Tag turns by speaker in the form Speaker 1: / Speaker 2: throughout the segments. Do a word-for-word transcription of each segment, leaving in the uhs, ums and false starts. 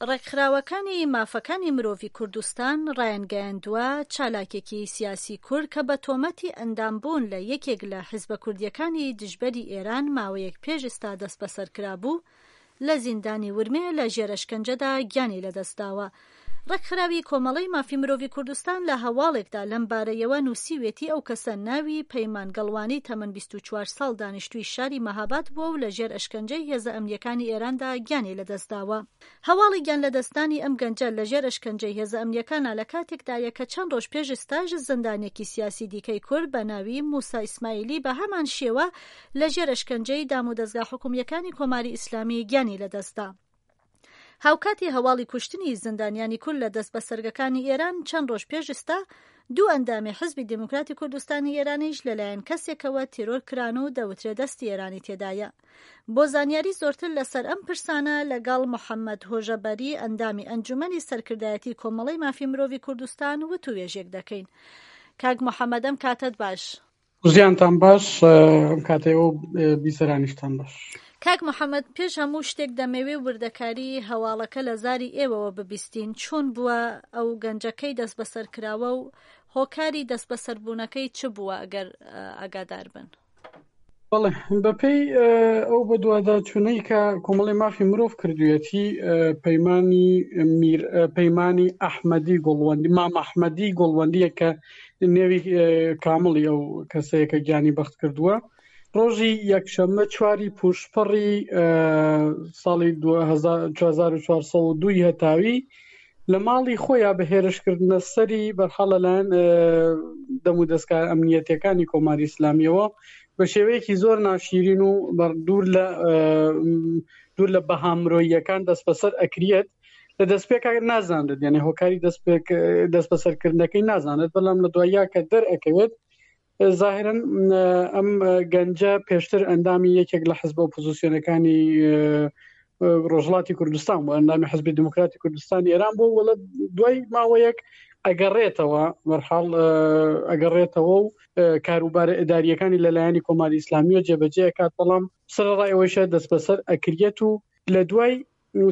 Speaker 1: ڕێکخراوەکانی مافەکانی مرۆڤی کوردستان ڕایانگەیاندووە، چالاکێکی سیاسی کورد کە بە تۆمەتی ئەندامبوون لە یەکێک لە حیزبە کوردییەکانی دژبەری ئێران ماوەیەک پێش ئیستا دەستبەسەر کرابوو، لە زیندانی ورمێ لە ژێر ئەشکەنجەدا گیانی لەدەست داوە. ڕێکخراوی کۆمەڵەی مافی مرۆڤی کوردستان لە هەواڵێکدا لەم بارەیەوە نووسیوێتی ئەو کەسە ناوی پەیمان گەڵوانی تەمەن بیست و چوار ساڵ دانیشتووی شاری مەهاباد بووە و لە ژێر ئەشکەنجەی هێزە ئەمنییەکانی ئێراندا گیانی لەدەست داوە. هەواڵی گیانلەدەستدانی ئەم گەنجە لە ژێر ئەشکەنجەی هێزە ئەمنییەکانا لە کاتێکدایە کە چەند ڕۆژ پێش ئیستاش زیندانییەکی سیاسی دیکەی کورد بە ناوی موسا ئیسماعیلی بە هەمان شێوە لە ژێر ئەشکەنجەی دامودەزگا حکوومییەکانی کۆماری ئیسلامی گیانی لەدەستدا. هاوکاتی هەواڵی کوشتنی زیندانیانی کورد لە دەستبەسەرگەکانی ئێران چەند ڕۆژ پێش ئیستا دوو ئەندامی حزبی دێموکراتی کوردستانی ئێرانیش لەلایەن کەسێکەوە تێرۆر کران و دەوترێ دەستی ئێرانی تێدایە. بۆ زانیاری زۆرتر لەسەر ئەم پرسانە لەگەڵ محەممەد هۆژەبەری ئەندامی ئەنجومەنی سەرکردایەتی کۆمەڵەی مافی مرۆڤی کوردستان وتووێژێک دەکەین. کاک محەممەد ئەم کاتەت باش.
Speaker 2: زیانتان باش، ئەم کاتەی و بیسەرانیشتان باش.
Speaker 1: کاک محەممەد پێش هەموو شتێک دەمەوێ وردەکاری هەواڵەکە لە زاری ئێوەوە ببیستین. چۆن بووە ئەو گەنجەکەی دەستبەسەر کراوە و هۆکاری دەستبەسەربوونەکەی چ بووە ئەگەر ئاگادار بن؟
Speaker 2: بەڵێ، بەپێی ئەو بەدواداچوونەی کە کۆمەڵی مافی مرۆڤ کردوویەتی، پەیمانی میر پەیمانی ئەحمەدی گوڵوەندی، مام ئەحمەدی گوڵوەندیە کە نێوی کامڵی ئەو کەسەیە کە گیانی بەخت کردووە، ڕۆژی یەکشەممە چواری پوشپەڕی ساڵی دوو هەزار و چوار سەد و دوو هەتاوی لە ماڵی خۆیان بە هێرشکردنە سەری بەرحاڵ لەلایەن دەم و دەستکار ئەمنیەتەکانی کۆماری ئیسلامیەوە بە شێوەیەکی زۆر ناشیرین و دوور لە دوور لە بەها مرۆییەکان دەستبەسەر ئەکریەت. لە دەستپێک نازانرێت، یعنی هۆکاری دەستپێک دەستبەسەرکردنەکەی نازانێت، بەڵام لە دواییا کە دەرئەکەوێت ظاهرا ئەم گەنجە پێشتر ئەندامی یەکێک لە حزب ئۆپۆزیسیۆنەکانی ڕۆژهەڵاتی کوردستان بوو، ئەندامی حزبی دموکراتی کوردستانی ئێران بوو، وەڵە دوای ماوەیەک ئەگەڕێتەوە بەرحاڵ ئەگەڕێتەوە و کاروبارە ئیداریەکانی لەلایەنی کۆماری ئیسلامیەوە جێبەجێ ئەکات، بەڵام سەرەڕای ئەوەیشە دەستبەسەر ئەکریەت و لە دوای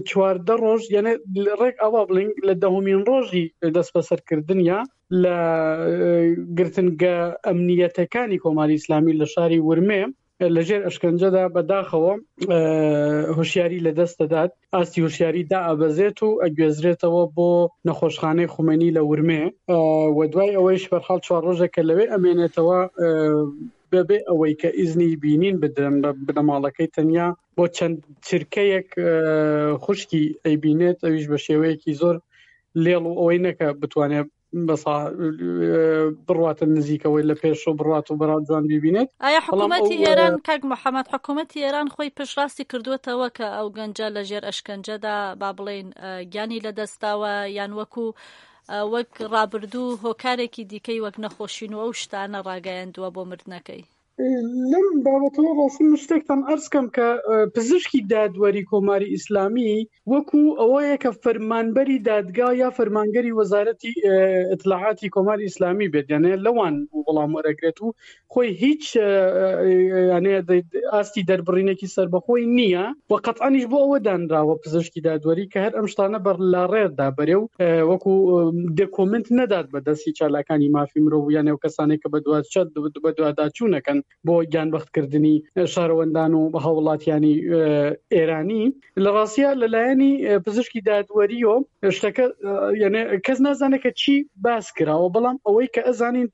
Speaker 2: چواردە ڕۆژ، یعنی ڕێک ئەوە بڵین لە دەهمین ڕۆژی دەستبەسەرکردنیا لە گرتنگە ئەمنیەتەکانی کۆماری ئیسلامی لە شاری ورمێ لەژێر ئەشکەنجەدا بەداخەوە هۆشیاری لە دەست دەدات، ئاستی هۆشیاری دا ئەبەزێت و ئەگوێزرێتەوە بۆ نەخۆشخانەی خومەینی لە ورمێ و دوای ئەوەیش بەرحاڵ چوار ڕۆژێک کە لەوێ ئەمێنێتەوە بەبێ ئەوەی کە ئیزنی بینین بدرن بە بنەماڵەکەی، تەنیا بۆ چەند چرکەیەک خوشکی ئەیبینێت، ئەویش بە شێوەیەکی زۆر لێڵ و ئەوەی نەکە بتوانێت بەسا بڕواتە نزیکەوەی لە پێش و بڕات و بەرا جوان ببینێت.
Speaker 1: ئایا حکوومەتی ئێران، کاک محەممەد، حکوومەتی ئێران خۆی پشتڕاستی کردووەتەوە کە ئەو گەنجە لە ژێر ئەشکەنجەدا با بڵێین گیانی لەدەستداوە، یان وەکو وەک ڕابردوو هۆکارێکی دیکەی وەک نەخۆشین و ئەو شتانە ڕاگەیاندووە بۆ مردنەکەی؟
Speaker 2: لەم بابەتەوە ڕاستیم شتێکتان عەرز کەم کە پزیشکی دادوەری کۆماری ئیسلامی وەکو ئەوەیە کە فەرمانبەری دادگا یا فەرمانگەری وەزارەتی ئیتلاعاتی کۆماری ئیسلامی بێت، یانێ لەوان وەڵام وەرەگرێت و خۆی هیچ یانێ ئاستی دەربڕینێکی سەربەخۆی نییە و قەتعەنیش بۆ ئەوە دانراوە پزیشکی دادوەری کە هەر ئەم شتانە بەر لاڕێدا بەرێ و وەکو دێکۆمنت نەدات بە دەستی چالاکانی مافی مرۆڤ یانێ و کەسانێک کە بەدواداچوونەکەن بۆ گیانبەختکردنی شارەوەندان و هاوڵاتیانی ئێرانی. لە ڕاستیە لەلایەنی پزیشکی دادوەریەوە شتەکە یعنی کەس نازانێت کە چی باس کراوە، بەڵام ئەوەی کە ئەزانین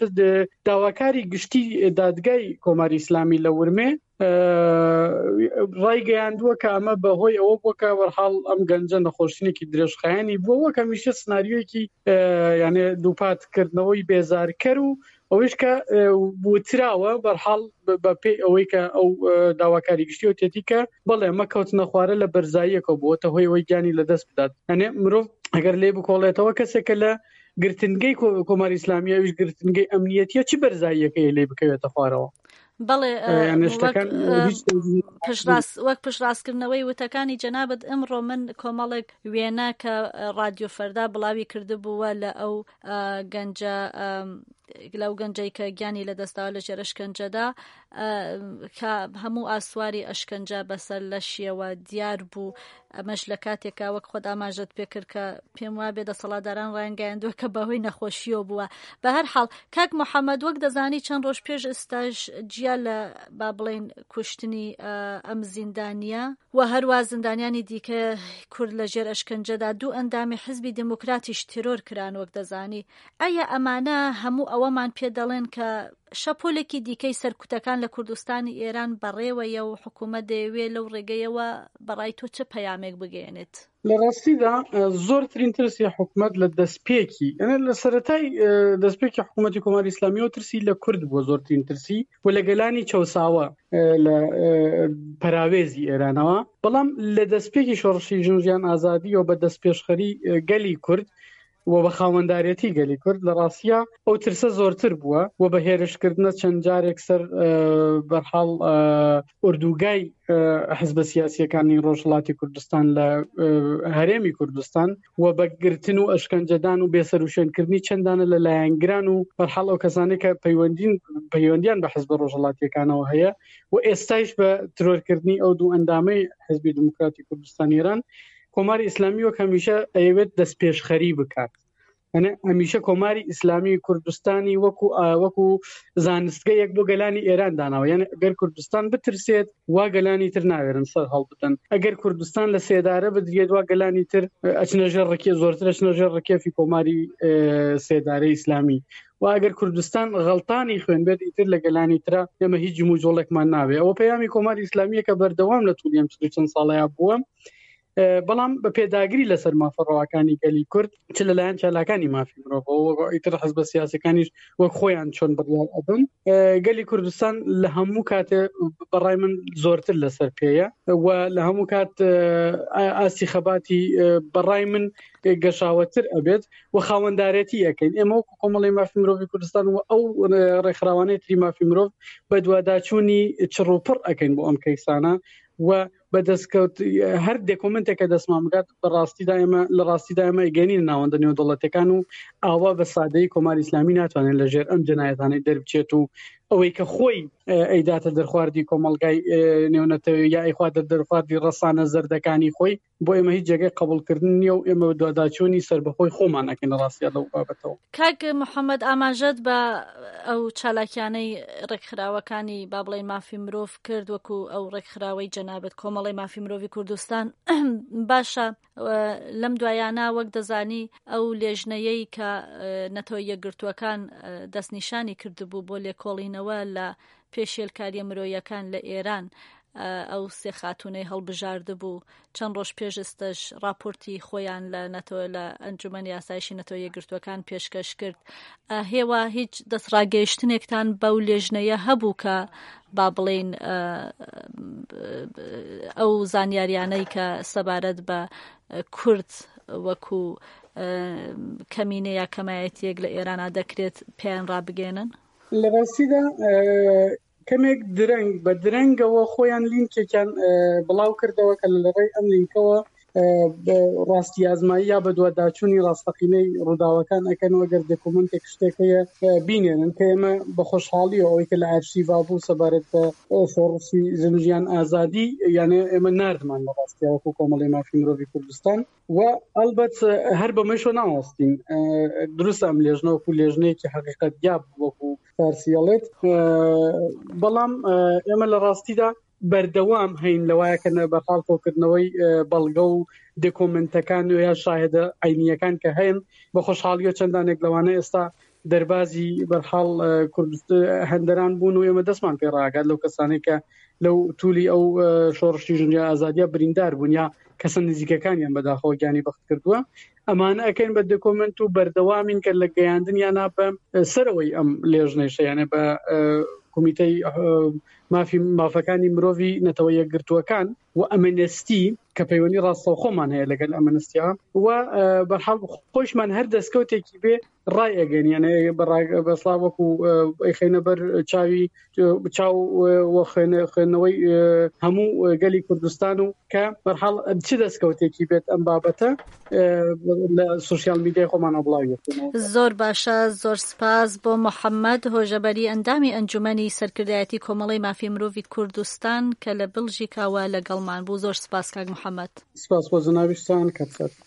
Speaker 2: داواکاری گشتی دادگای کۆماری ئیسلامی لە ورمێ ڕایگەیاندووە کە ئەمە بەهۆی ئەوە بووە کە وەرحاڵ ئەم گەنجە نەخۆشینێکی درێژخایەنی بووە، وەک هەمیشە سناریۆیەکی یانێ دووپاتکردنەوەی بێزارکەر و ئەوەیش کە وتراوە بەرحاڵ بە پێی ئەوەی کە ئەو داواکاری گشتی وتێتی کە بەڵێ ئەمە کەوتنە خوارە لە بەرزاییەکە بووەتە هۆی ئەوەی گیانی لەدەست بدات. یانێ مرۆڤ ئەگەر لێ بکۆڵێتەوە کەسێکە لە گرتنگەی کۆماری ئیسلامی، ئەویش گرتنگەی ئەمنیەتیە، چی بەرزاییەکەی لێ بکەوێتە خوارەوە؟
Speaker 1: بەڵێ، وەک پشتڕاستکردنەوەی وتەکانی جەنابەت، ئمڕۆ من کۆمەڵێک وێنە کە ڕادیۆ فەردا بڵاوی کردبووە لە ئەو گەنجە لەو گەنجەی کە گیانی لەدەستداوە لە ژێر ئەشکەنجەدا، کە هەموو ئاسواری ئەشکەنجە بەسەر لەشیەوە دیار بوو. ئەمەش لە کاتێکا وەک خۆت ئاماژەت پێکرد کە پێم وابێ دەسەڵاتداران ڕایانگەیاندووە کە بەهۆی نەخۆشیەوە بووە. بە هەر حاڵ کاک محەممەد، وەک دەزانی چەند ڕۆژ پێش ئێستاش جیا لە با بڵێین کوشتنی ئەم زیندانیە و هەروە زیندانیانی دیکە کورد لە ژێر ئەشکەنجەدا، دوو ئەندامی حزبی دێموکراتیش تێرۆر کران وەک دەزانی. ئایا ئەمانە هەموو ئەوەمان پێ دەڵێن کە شەپۆلێکی دیکەی سەرکوتەکان لە کوردستانی ئێران بەڕێوەیە و حکوومەت دەیەوێت لەو ڕێگەیەوە بەڕای تۆ چ پەیامێک بگەیەنێت؟
Speaker 2: لە ڕاستیدا زۆرترین ترسی حکوومەت لە دەستپێکی، یعنی لە سەرەتای دەستپێکی حکوومەتی کۆماری ئیسلامیەوە ترسی لە کورد بووە، زۆرترین ترسی و لە گەلانی چەوساوە لە پەراوێزی ئێرانەوە. بەڵام لە دەستپێکی شۆڕشی ژن ژیان ئازادیەوە بە دەستپێشخەری گەلی کورد و بە خاوەندارێتی گەلی کورد لە ڕاستیە ئەو ترسە زۆرتر بووە و بە هێرشکردنە چەند جارێک سەر بەرحاڵ ئۆردوگای حزبە سیاسیەکانی ڕۆژهەڵاتی کوردستان لە هەرێمی کوردستان و بە گرتن و ئەشکەنجەدان و بێسەروشوێنکردنی چەندانە لە لایەنگران و بەرحاڵ ئەو کەسانەی کە پەیوەندیان بە حزبە ڕۆژهەڵاتیەکانەوە هەیە و ئێستایش بە ترۆرکردنی ئەو دوو ئەندامەی حزبی دموکراتی کوردستان ئێران، کۆماری ئیسلامی وەک هەمیشە ئەیەوێت دەستپێشخەری بکات. یعنی هەمیشە کۆماری ئیسلامی کوردستانی وەکو وەکو زانستگەیەک بۆ گەلانی ئێران داناوە. یعنی ئەگەر کوردستان بترسێت وا گەلانی تر ناوێرن سەر هەڵبدەن، ئەگەر کوردستان لە سێدارە بدرێت وا گەلانی تر ئەچنە ژێر ڕکێ، زۆرتر ئەچنە ژێر ڕکێفی کۆماری سێدارەی ئیسلامی. و ئەگەر کوردستان غەڵتانی خوێن بێت ئیتر لە گەلانی ترە ئێمە هیچ جموجۆڵێکمان ناوێ. ئەوە پەیامی کۆماری ئیسلامیە کە بەردەوام لە توولی ئەم چل و چەند ساڵەیە بووە، بەڵام بە پێداگری لەسەر مافە ڕەواکانی گەلی کورد چ لەلایەن چالاکانی مافی مرۆڤەوە ئیتر حزبە سیاسەکانیش وەک خۆیان چۆن بڕیار ئەدەن، گەلی کوردستان لە هەموو کاتێ بەڕای من زۆرتر لەسەر پێیە و لە هەموو کات ئاستی خەباتی بەڕای من گەشاوەتر ئەبێت و خاوەندارێتی ئەەکەین. ئێمە وەکو کۆمەڵی مافی مرۆڤی کوردستان و ئەو ڕێکخراوانەی تری مافی مرۆڤ بەدواداچوونی چڕوپڕ ئەەکەین بۆ ئەم کەیسانە و بەدەستکەوت هەر دێکۆمنتێکە دەستمان بگات بەڕاستیدا ئێمە لە ڕاستیدا ئێمە ئەگەینین ناوەندە نێودەوڵەتەکان و ئاوا بە سادەیی کۆماری ئیسلامی ناتوانێت لەژێر ئەم جەنایەتانەی دەربچێت و ئەوەی کە خۆی ئەیداتە دەرخواردی کۆمەڵگای نێونەتەوەی یا ئەیخواتە دەرخواردی ڕەسانە زەردەکانی خۆی، بۆ ئێمە هیچ جێگەی قبوڵکردن نییە و ئێمە دواداچوونی سەربەخۆی خۆمان ئەکەین لە ڕاستیدا لەو بابەتەوە.
Speaker 1: کاک محەممەد، ئاماژەت بە ئەو چالاکیانەی ڕێکخراوەکانی با بڵێین مافی مرۆڤ کرد، وەکو ئەو ڕێکخراوەی جەنابەت کۆمەڵی مافی مرۆڤی کوردستان. باشە، لەم دوایانە وەک دەزانی ئەو لێژنەیەی کە نەتەوە یەکگرتووەکان دەستنیشانی کردبوو بۆ لێکۆڵینەوە لە پێشێلکاریە مرۆیەکان لە ئێران، ئەو سێ خاتوونەی هەڵبژاردبوو، چەند ڕۆژ پێش ئێستاش راپۆرتی خۆیان لە نەتەوە لە ئەنجومەنی ئاسایشی نەتەوە یەکگرتووەکان پێشکەش کرد. هێوا هیچ دەستڕاگەیشتنێکتان بەو لێژنەیە هەبوو کە با بڵێین ئەو زانیاریانەی کە سەبارەت بە کورد وەکو کەمینە یا کەمایەتیەک لە ئێرانە دەکرێت پێیان ڕابگەێنن؟
Speaker 2: لە ڕاستیدا کەمێک درەنگ بە درەنگەوە خۆیان لینکێکیان بڵاو کردەوە کە لە ڕێی ئەم لینکەوە ڕاستی ئازمایی یا بەدواداچوونی ڕاستەقینەی ڕووداوەکان ئەکەن و ئەگەر دۆکومنتێک شتێک هەیە بینێنن کە ئێمە بە خۆشحاڵیەوە ئەوەی کە لە ئەرشیڤا بوو سەبارەت بە شۆڕشی ژن ژیان ئازادی، یانێ ئێمە ناردمان لە ڕاستیەوە وەکو کۆمەڵی مافی مرۆڤی کوردستان و ئەلبەت هەر بەمەشەوە ناوەستین. دروستە ئەم لێژنە وەکو لێژنەیەکی حەقیقەت یاب وەکو فارسیەڵێت، بەڵام ئێمە لە ڕاستیدا بەردەوام هەین لەوایە کە بەرحاڵ کۆکردنەوەی بەڵگە و دۆکۆمنتەکان و یا شاهدە عینیەکان کە هەن بە خۆشحاڵیەوە چەندانێک لەوانە ئێستا دەربازی بەرحاڵ هەندەران بوون و ئێمە دەستمان پێ ڕاگات لەو کەسانەی کە لەو تولی ئەو شۆڕشی ژنیا ئازادیە بریندار بوون یا کەسە نزیکەکانیان بەداخەوە گیانی بەخت کردووە. ئەمانە ئەکەین بە دۆکۆمنت و بەردەوامین کە لە گەیاندنیانە بە سەرەوەی ئەم لێژنەیشە، یانێ بە کۆمیتەی مافی مافەکانی مرۆڤی نەتەوە یەکگرتووەکان و ئەمنستی کە پەیوەندی ڕاستەوخۆمان هەیە لەگەل ئەمنستیا و بەرحاڵ خۆشمان هەر دەستکەوتێکی بێ ڕای ئەگەن، یانە بەسڵا وەکو ئەیخەینە بەر چاوی چاو و خوێندنەوەی هەموو گەلی کوردستان و کە بەرحاڵ چ دەستکەوتێکی بێت ئەم بابەتە لە سوسیال میدیای خۆمانەوە بڵاوی دەکەینەوە.
Speaker 1: زۆر باشە، زۆر سپاس بۆ محەممەد هۆژەبەری ئەندامی ئەنجومەنی سەرکردایەتی کۆمەڵەی مافی مرۆڤی کوردستان کە لە بلژیکاوە لەگەڵمان بوو. زۆر سپاس کاک محەممەد.
Speaker 2: سپاس بۆ جەنابیشتان کاک ساتر.